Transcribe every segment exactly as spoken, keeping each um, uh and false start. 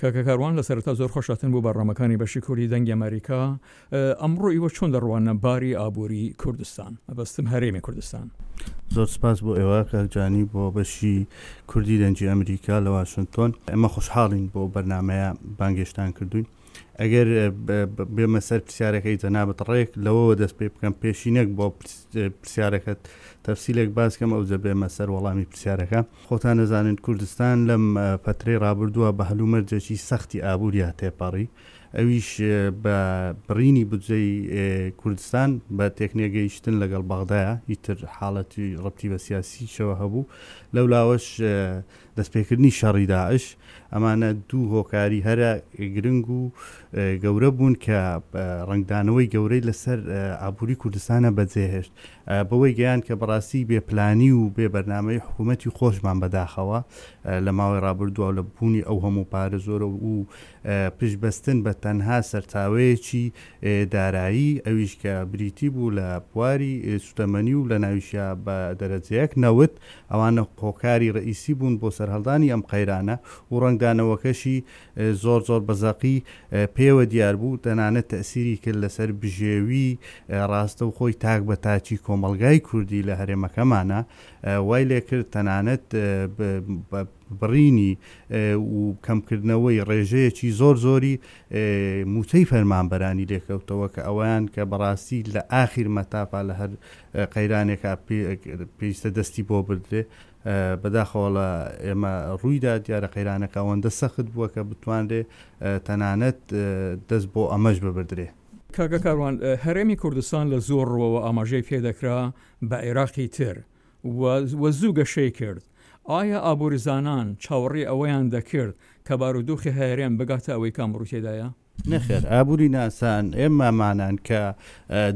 کاکە کاروان لە سەرەتا زۆر خۆشهاتن بۆ بەرنامەکانی بەشی کوردی دەنگی ئەمەریکا. ئەمڕۆ ئیوە چۆن دەڕواننە باری ئابووری کوردستان، مەبەستم هەرێمی کوردستان؟ زۆر سپاس بۆ ئێوە کاک جانی بۆ بەشی کوردی دەنگی ئەمریکا لە واشنتۆن. ئێمە خۆشحاڵین بۆ بەرنامەیە بانگێشتان کردوین. ئەگەر بێمە سەر پرسیارەکەی جەنابت ڕێک لەوەوە دەست پێ بکەم، پێشینەک بۆ پرسیارەکەت تەفسیلێک باس کەم ئەوجە بێمە سەر وەڵامی پرسیارەکە. خۆتان دەزانن کوردستان لەم پەترەی ڕابردووە بە هەلومەرجێکی سەختی ئابووریا تێپەڕی، ئەویش بە بڕینی بودجەی کوردستان بە تێکنێگەیشتن لەگەڵ بەغدایە، ئیتر حاڵەتی ڕەبتی بە سیاسیشەوە هەبوو، لەولاوەش دەستپێکردنی شەڕی داعش. ئەمانە دوو هۆکاری هەرە گرنگ و گەورە بوون کە ڕەنگدانەوەی گەورەی لەسەر ئابووری کوردستانە بەجێهێشت، بەوەی گەیان کە بەڕاستی بێپلانی و بێ بەرنامەی حکوومەتی خۆشمان بەداخەوە لە ماوەی ڕابردووە لە بوونی ئەو هەموو پارە زۆرە و پشتبەستن بە تەنها سەرچاوەیەکی دارایی، ئەویش کە بریتی بوو لە بواری سوتەمەنی و لە ناویشیا بە دەرەجەیەک نەوت، ئەوانە هۆکاری ڕئیسی بوون بۆ سەرهەڵدانی ئەم قەیرانە و ڕەنگدانەوەکەشی زۆر زۆر بەزەقی پێوە دیار بوو، تەنانەت تەسیری کرد لەسەر بژێوی ڕاستەوخۆی تاک بە تاکی کۆمەڵگای کوردی لە هەرێمەکەمانە، وای لێکرد تەنانەت بڕینی و کەمکردنەوەی ڕێژەیەکی زۆر زۆری موچەی فەرمانبەرانی لێکەوتەوە کە ئەویان کە بەڕاستی لە ئاخیر مەتافا لە هەر قەیرانێکا پێویستە دەستی بۆ بردرێ. بەداخەوە لە ئێمە ڕوویدا دیارە قەیرانەکە ئەوەندە سەخت بووە کە بتوانرێ تەنانەت دەست بۆ ئەمەش ببردرێ. کاکە کاروان، هەرێمی کوردستان لە زۆر ڕووەوە ئاماژەی پێدەکرا بە عێراقی تر و زوو گەشەی کرد. ئایا ئابووریزانان چاوەڕێی ئەوەیان دەکرد کە بارودۆخی هەرێم بگاتە ئەوەی کە ئەمڕۆ تێدایە؟ نەخێر، ئابووری ناسان ئێمەمانان کە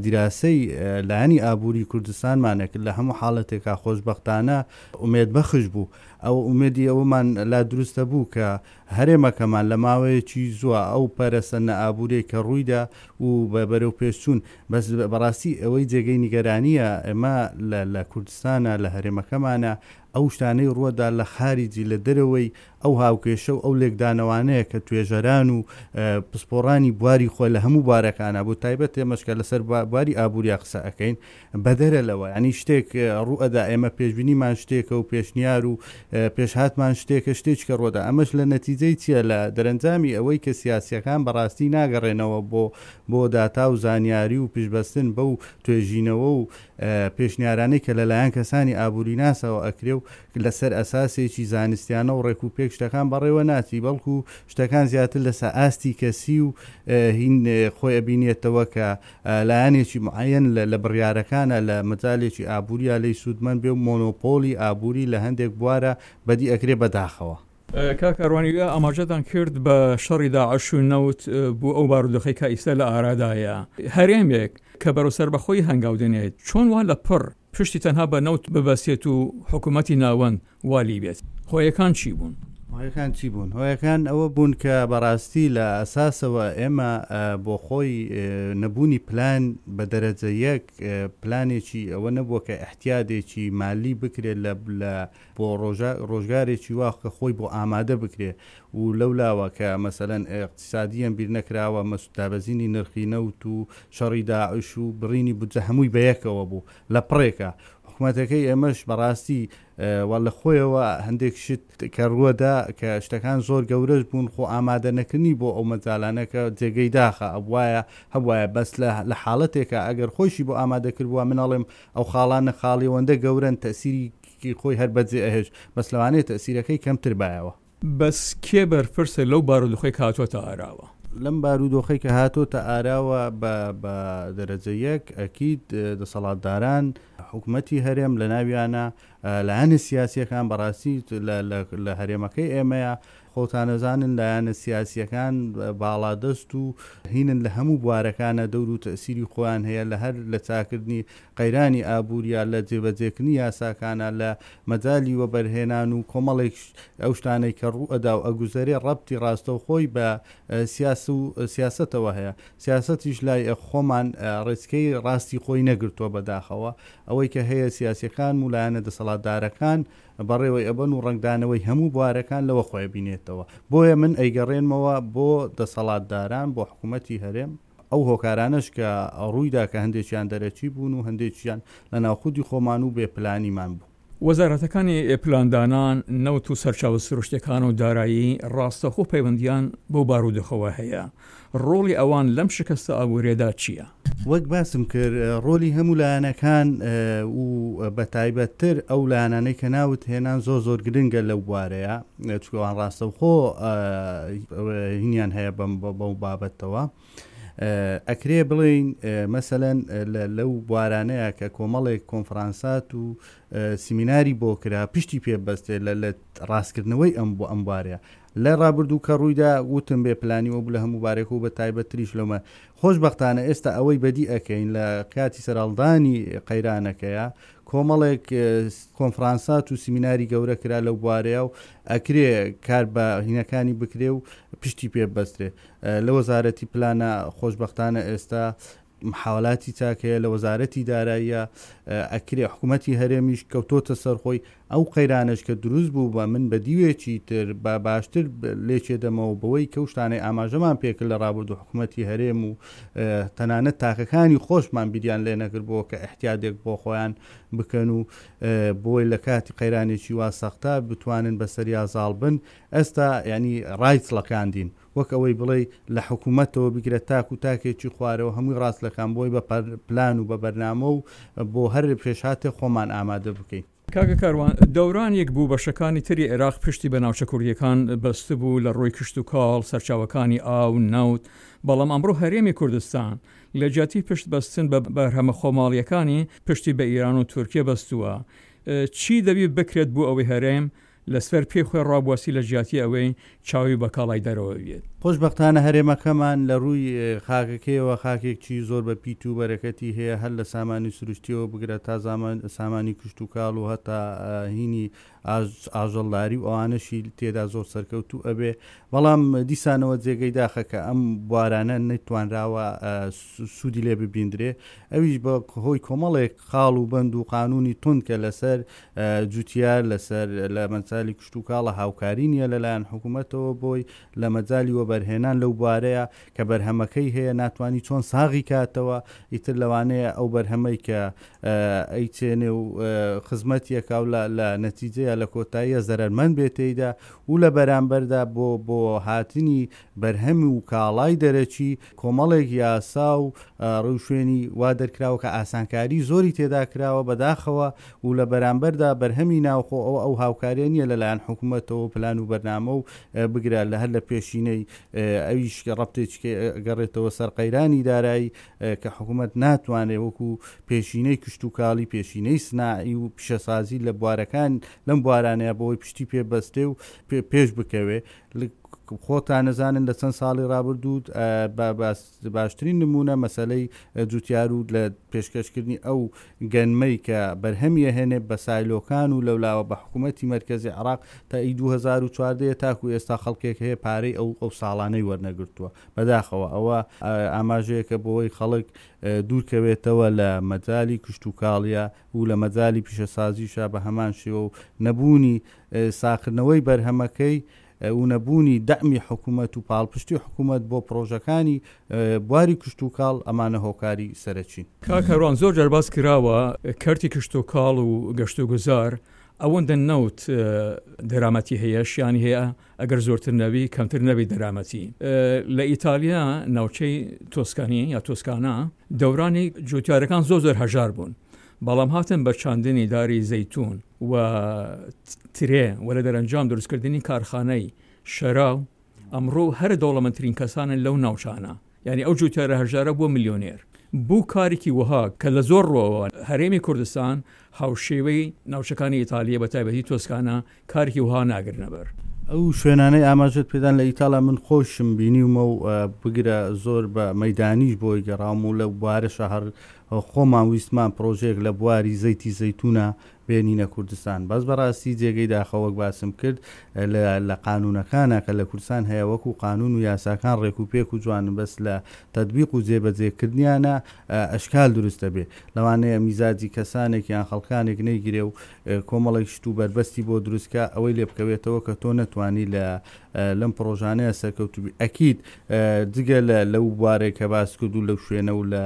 دیراسەی لایەنی ئابووری کوردستانمانە کرد لە هەموو حاڵەتێکا خۆشبەختانە ئومێدبەخش بوو. ئەو ئومێدی ئەوەمان لا دروستە بوو کە هەرێمەکەمان لە ماوەیەکی زووە ئەو پەرەسەندە ئابووریەی کە ڕوویدا و بە بەرەو پێشچوون، بەس بەڕاستی ئەوەی جێگەی نیگەرانیە ئێمە لە کوردستانە لە هەرێمەکەمانە ئەو شتانەی ڕووەدا لە خاریجی لە دەرەوەی ئەو هاوکێشە و ئەو لێکدانەوانەیە کە توێژەران و پسپۆڕانی بواری خۆی لە هەموو بوارەکانە بۆ تایبەت ئێمەش کە لەسەر بواری ئابووریا قسە ئەکەین بەدەرە لەوە، ینی شتێک ڕوئەدا ئێمە پێشبینیمان شتێکە و پێشنیار و پێشهاتمان شتێکە شتێک کە ڕۆدا، ئەمەش لە نەتیجەی چییە؟ لە دەرەنجامی ئەوەی کە سیاسیەکان بەڕاستی ناگەڕێنەوە بۆ بۆ داتا و زانیاری و پشتبەستن بەو توێژینەوە و پێشنیارانەی کە لەلایەن کەسانی ئابووریناسەوە ئەکرێ و لەسەر ئەساسێکی زانستیانە و ڕێک و پێک شتەکان بەڕێوە ناچی، بەڵکو شتەکان زیاتر لەسەر ئاستی کەسی و هین خۆی ئەبینێتەوە کە لایەنێکی معەیەن لە بڕیارەکانە لە مەجالێکی ئابووریا لێی سوودمەند بێ و مۆنۆپۆلی ئابووری لە هەندێک بوارە بەدی ئەکرێ بەداخەوە. کاک کاروانی ئاماژەتان کرد بە شەڕی داعش و نەوت بۆ ئەو بارودۆخەی کە ئیستا لە ئارادایە، هەرێمێک کە بەرەو سەربەخۆیی هەنگاو دەنێت چۆن وا لە پڕ پشتی تەنها بە نەوت ببەستێت و حکوومەتی ناوەند وا لی بێت؟ هۆیەکان چی بوون؟ هۆیەکان چی بوون؟ هۆیەکان ئەوە بوون کە بەڕاستی لە ئەساسەوە ئێمە بۆ خۆی نەبوونی پلان بە دەرەجە یەک، پلانێکی ئەوە نەبووە کە ئیحتیادێکی مالی بکرێت لە لە بۆ ڕۆژگارێکی وا کە خۆی بۆ ئامادە بکرێ و لەولاوە کە مەسەلەن ئیقتیسادییەن بیر نەکراوە، دابەزینی نرخی نەوت و شەڕی داعش و بڕینی بودجە هەمووی بەیەکەوە بوو لە پڕێکا. حکومەتەکەی ئێمەش بەڕاستی وە لە خۆیەوە هەندێک شت کە ڕووەدا کە شتەکان زۆر گەورەش بوون، خۆ ئامادە نەکردنی بۆ ئەو مەجالانە کە جێگەی داخە ئەبوایە هەبوایە، بەس لە لە حاڵەتێکا ئەگەر خۆیشی بۆ ئامادە کردبووە، من ئەڵێم ئەو خاڵانە خاڵی ئەوەندە گەورەن تەئسیری خۆی هەر بەجێ ئەهێشت، بەس لەوانەیە تەئسیرەکەی کەمتر بایەوە. بەس کێ بەرپرسە لەو بارودۆخەی کە هاتۆتە ئاراوە؟ لەم بارودۆخەی کە هاتۆتە ئاراوە بە بە دەرەجە یەک ئەکید دەسەڵاتداران حکومەتی هەرێم لە ناویانە لایەنە سیاسیەکان بەڕاستی لە هەرێمەکەی ئێمەیە خۆتانەزانن لایەنە سیاسیەکان باڵادەست و هینن لە هەموو بوارەکانە دەور و تەسیری خۆیان هەیە لە هەر لە چاکردنی قەیرانی ئابووریا لە جێبەجێکردنی یاساکانە لە مەجالی وەبەرهێنان و کۆمەڵێک ئەو شتانەی کە ڕووئەدا و ئەگوزەرێ ڕەبتی ڕاستەوخۆی بە سیاس و سیاسەتەوە هەیە سیاسەتیش لای خۆمان ڕێچکەی ڕاستی خۆی نەگرتووە بەداخەوە ئەوەی کە هەیە سیاسیەکان و لایەنە دەسەڵاتدارەکان بەڕێوەی ئەبەن و ڕەنگدانەوەی هەموو بوارەکان لەوە خۆی بینێتەوە. بۆیە من ئەیگەڕێنمەوە بۆ دەسەڵاتداران، بۆ حکوومەتی هەرێم، ئەو هۆکارانەش کە ڕوویدا کە هەندێکیان دەرەکی بوون و هەندێکیان لە ناوخودی خۆمان و بێپلانیمان بوو. وەزارەتەکانی پلاندانان، نەوت و سەرچاوە سروشتەکان و دارایی ڕاستەخۆ پەیوەندیان بەو بارودۆخەوە هەیە. ڕۆڵی ئەوان لەم شکستە ئابووریەدا چییە؟ وەک باسم کرد ڕۆلی هەموو لایەنەکان و بەتایبەتتر ئەو لایەنانەی کە ناوت هێنان زۆر زۆر گرنگە لەو بوارەیە، چونکە ڕاستەوخۆ هینیان هەیە بەو بابەتەوە. ئەکرێ بڵێین مەسەلەن لەو بوارانەیە کە کۆمەڵێک کۆنفرانسات و سیمیناری بۆ کرا پشتی پێ بەستێ لە ڕاستکردنەوەی ئەم بۆ ئەم بوارەیە. لە ڕابردوو کە ڕوویدا وتم بێ پلانی وە بوو لە هەموو بارێک و بە تایبەتتریش لەمە. خۆشبەختانە ئێستا ئەوەی بەدی ئەکەین لە کاتی سەرهەڵدانی قەیرانەکەیە کۆمەڵێک کۆنفرانسات و سیمیناری گەورە کرا لەو بوارەیە و ئەکرێ کار بە هینەکانی بکرێ و پشتی پێ بەسترێ. لە وەزارەتی پلانە خۆشبەختانە ئێستا محاولاتی چاک هەیە، لە وەزارەتی داراییە ئەکرێ حکوومەتی هەرێمیش کەوتۆتە سەرخۆی. ئەو قەیرانەش کە دروست بوو بە من بە دیوێکی تر بە باشتر لێکێ دەمەوە بەوەی کە شتانەی ئاماژەمان پێکرد لە ڕابردوو حکوومەتی هەرێم و تەنانەت تاکەکانی خۆشمان بیریان لێ نەکرد بۆ کە احتیادێک بۆ خۆیان بکەن و بۆی لە کاتی قەیرانێکی وا سەختە بتوانن بەسەریا زاڵ بن. ئێستا ینی ڕایتڵەکاندین وەک ئەوەی بڵێ لە حکوومەتەوە بگرە تاک و تاکێکی خوارەوە هەمووی ڕاستلەکان بۆی بە پلان و بە بەرنامە و بۆ هەر پێشهاتێ خۆمان ئامادە بکەین. کاکە کاروان، دەورانێک بوو بەشەکانی تری عێراق پشتی بە ناوچە کوردیەکان بەستبوو لە ڕووی کشتوکاڵ، سەرچاوەکانی ئاو، نەوت، بەڵام ئەمڕۆ هەرێمی کوردستان لە جیاتی پشت بەستن بە بەرهەمە خۆماڵیەکانی پشتی بە ئیران و تورکیا بەستووە. چی دەبی بکرێت بۆ ئەوەی هەرێم لەسەر پێی خۆی ڕابوەستی لە جیاتی ئەوەی چاوی بە کاڵای دەرەوە بێت؟ خۆشبەختانە هەرێمەکەمان لە ڕووی خاکەکەیەوە خاکێکی زۆر بە پیت و بەرەکەتی هەیە، هەر لە سامانی سروشتیەوە بگرە تا سامانی کشتوکاڵ و هەتا هینی ئاژەڵداری و ئەوانەشی تێدا زۆر سەرکەوتوو ئەبێ. بەڵام دیسانەوە جێگەی داخە کە ئەم بوارانە نەتوانراوە سوودی لێ ببیندرێ، ئەویش بە هۆی کۆمەڵێک خاڵ و بەند و قانونی توند کە لەسەر جوتیار لەسەر لە مەجالی کشتوکاڵە هاوکاری نییە لەلایەن حکوومەتەوە بۆی لە مەجالی وەبەرهێنان لەو بوارەیە کە بەرهەمەکەی هەیە ناتوانانی چۆن ساغی کاتەوە. ئیتر لەوانەیە ئەو بەرهەمەی کە ئەیچێنێ و خزمەتیەکە و لە نەتیجەیە لە کۆتاییە زەرەرمەند بێتێیدا و لە بەرامبەردا بۆ بۆ هاتنی بەرهەم و کاڵای دەرەکی کۆمەڵێک یاسا و ڕێوشوێنی وا دەرکراوە کە ئاسانکاری زۆری تێدا کراوە بەداخەوە و لە بەرامبەردا بەرهەمی ناوخۆ ئەو ئەو هاوکاریە نییە لەلایەن حکوومەتەوە پلان و بەرنامە و بگرە لە هەر لە پێشینەی ئەویش ڕەبتێکی گەڕێتەوە سەر قەیرانی دارایی کە حکوومەت ناتوانێت وەکو پێشینەی کشتوکاڵی، پێشینەی سناعی و پیشەسازی لە بوارەکان لەم بوارانەیە بۆی پشتی پێ بەستێ و پێش بکەوێ. خۆتان نەزانن لە چەند ساڵی ڕابردوو باشترین نمونە مەسلەی جوتیار و لە پێشکەشکردنی ئەو گەنمەی کە بەرهەمیە هێنێ بە سایلۆکان و لەولاوە بە حکوومەتی مەرکەزی عراق تا ئی دوو هەزار و چواردە تاکو ئێستا خەڵکێک هەیە پارەی ئەو ئەو ساڵانەی وەرنەگرتووە. بەداخەوە ئەوە ئاماژەیەکە بۆی خەڵک دوورکەوێتەوە لە مەجالی کشتوکاڵیە و لە مەجالی پیشەسازیشە بە هەمان شێوە و نەبوونی ساکردنەوەی بەرهەمەکەی و نەبوونی دەعمی حکوومەت و پاڵپشتی حکوومەت بۆ پرۆژەکانی بواری کشتوکاڵ ئەمانە هۆکاری سەرەکین. کاک کاروان، زۆر جار باس کراوە کەرتی کشتوکاڵ و گەشتوگوزار ئەوەندە نەوت دەرامەتی هەیە، شیانی هەیە ئەگەر زۆرتر نەبی کەمتر نەبی دەرامەتی. لە ئیتالیا ناوچەی تۆسکانی یا تۆسکانا دەورانی جوتیارەکان زۆر زۆر هەژار بوون، بەڵام هاتن بە چاندنی داری زەیتون و ترێ و لە دەرەنجام دروستکردنی کارخانەی شەراو ئەمڕۆ هەر دەوڵەمەندترین کەسانن لەو ناوچانە. یعنی ئەو جوتیارە هەژارە بووە ملیۆنێر. بوو کارێکی وەها کە لە زۆر ڕۆوە هەرێمی کوردستان هاوشێوەی ناوچەکانی ئیتالیە بە تایبەتی تۆسکانا کارێکی وەها ناگرنەبەر. ئەو شوێنانەی ئاماژەت پێدان لە ئیتاڵیا من خۆشم بینیومە و بگرە زۆر بە مەدانیش بۆی گەڕاوم و لە بوارەشە هەر خۆمان ویستمان پرۆژەیەک لە بواری زەیتی زەیتونە بێنینە کوردستان، بەس بەڕاستی جێگەی داخە وەک باسم کرد لە قانونەکانە کە لە کوردستان هەیە وەکو قانون و یاساکان ڕێک و پێک و جوانن، بەس لە تەطبیق و جێبەجێکردنیانە ئەشکال دروستە بێ. لەوانەیە میزاجی کەسانێک یان خەڵکانێک نەیگرێ و کۆمەڵێک شت و بەربەستی بۆ دروستکە ئەوەی لێ بکەوێتەوە کە تۆ نەتوانی لە لەم پرۆژانەیە سەرکەوتوبی. ئەکید جگە لە لەو بوارێک کە باس کرد و لەو شوێنە و لە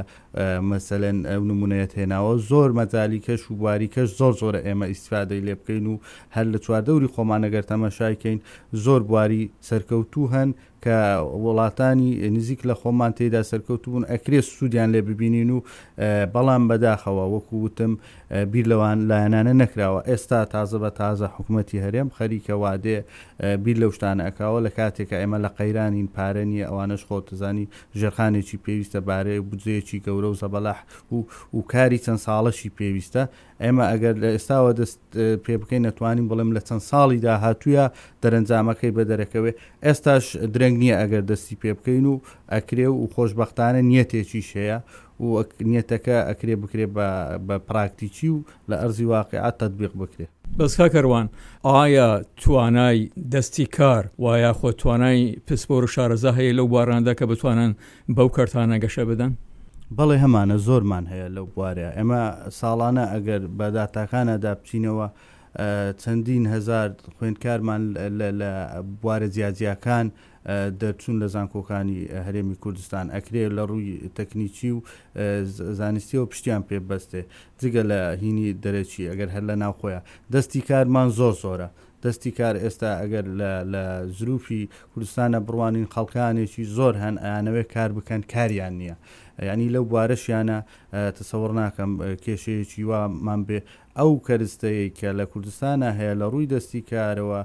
مەسەلەن ئەو نمونەیەت هێناوە، زۆر مەجالی کەش و بواری کەش زۆر زۆرە ئێمە ئیسفادەی لێ بکەین و هەر لە چواردەوری خۆمان ئەگەر تەماشای کەین زۆر بواری سەرکەوتوو هەن کە وڵاتانی نزیک لە خۆمان تێدا سەرکەوتوو بوون، ئەکرێ سوودیان لێ ببینین و بەڵام بەداخەوە وەکو وتم بیر لەوان لایەنانە نەکراوە. ئێستا تازە بە تازە حکوومەتی هەرێم خەریکە وادێ بیر لەو شتانە ئەکاوە لە کاتێکە ئێمە لە قەیرانین، پارە نییە، ئەوانەش خۆتەزانی ژێرخانێکی پێویستە، بارەی بودجەیەکی گەورە و زەبەلاح و و کاری چەند ساڵەشی پێویستە. ئێمە ئەگەر لە ئێستاوە دەست پێ بکەین نەتوانین بڵێم لە چەند ساڵی داهاتوویە دەرەنجامەکەی بەدەرەکەوێ. ئێستاش درەنگ نییە ئەگەر دەستی پێ بکەین و ئەکرێ و خۆشبەختانە نیەتێکیش هەیە و نیەتەکە ئەکرێ بکرێ بە پراکتیکی و لە ئەرزی واقعات تەطبیق بکرێ. بەس کاکەروان، ئایا توانای دەستی کار و یاخۆ توانای پسپۆر و شارەزا هەیە لەو بواراندا کە بتوانن بەو کەرتانە گەشە بدەن؟ بەڵێ هەمانە، زۆرمان هەیە لەو بوارەیە. ئێمە ساڵانە ئەگەر بە داتاکانەدا بچینەوە چەندین هەزار خوێندکارمان لە بوارە جیاجیاکان دەرچوون لە زانکۆکانی هەرێمی کوردستان، ئەکرێ لە ڕووی تەکنیکی و زانستیەوە پشتیان پێ بەستێ، جگە لە هینی دەرەکی ئەگەر هەر لە ناوخۆیە. دەستی کارمان زۆر زۆرە. دەستی کار ئێستا ئەگەر لە زروفی کوردستانە بڕوانین خەڵکانێکی زۆر هەن ئەیانەوێت کار بکەن، کاریان نییە. یعنی لەو بوارەشیانە تەسەوڕ ناکەم کێشەیەکی وامان بێ. ئەو کەرستەیە کە لە کوردستانە هەیە لە ڕووی دەستی کارەوە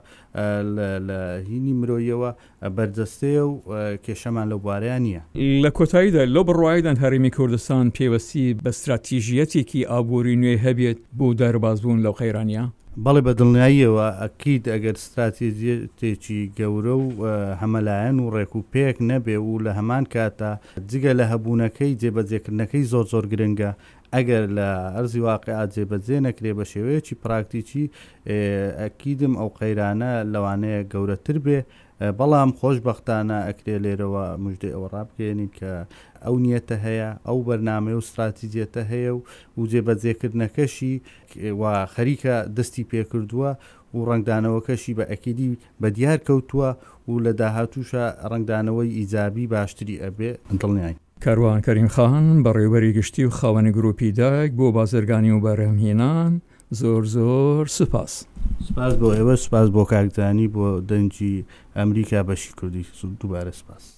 لە هینی مرۆیەوە بەردەستەیە و کێشەمان لەو بوارەیان نییە. لە کۆتاییدا لەو بڕوایدان هەرێمی کوردستان پێوەستی بە استراتیژیەتێکی ئابووری نوێ هەبێت بۆ دەربازبوون لەو قەیرانیە؟ بەڵێ بە دڵنیاییەوە ئەکید ئەگەر استراتیژیەتێکی گەورە و هەمەلایەن و ڕێک و پێک نەبێ و لە هەمان کاتا جگە لە هەبوونەکەی جێبەجێکردنەکەی زۆر زۆر گرنگە، ئەگەر لە ئەرزی واقعات جێبەجێ نەکرێ بە شێوەیەکی پراکتیکی ئەکیدم ئەو قەیرانە لەوانەیە گەورەتر بێ. بەڵام خۆشبەختانە ئەکرێ لێرەوە مژدەی ئەوە ڕابگەیەنین کە ئەو نیەتە هەیە، ئەو بەرنامەیە و استراتیژیەتە هەیە و و جێبەجێکردنەکەشی و خەریکە دەستی پێکردووە و ڕەنگدانەوەکەشی بە ئەکیدی بە دیار کەوتووە و لە داهاتووشە ڕەنگدانەوەی ئیجابی باشتری ئەبێ دڵنیاین. کاروان کەریم خان، بەڕێوەبەری گشتی و خاوەنی گروپی دایک بۆ بازرگانی و بەرهەمهێنان، زۆر زۆر سوپاس. سپاس بۆ ئێوە، سپاس بۆ کاکدانی، بۆ دەنگی ئەمریکا بەشی کوردی، دووبارە سپاس.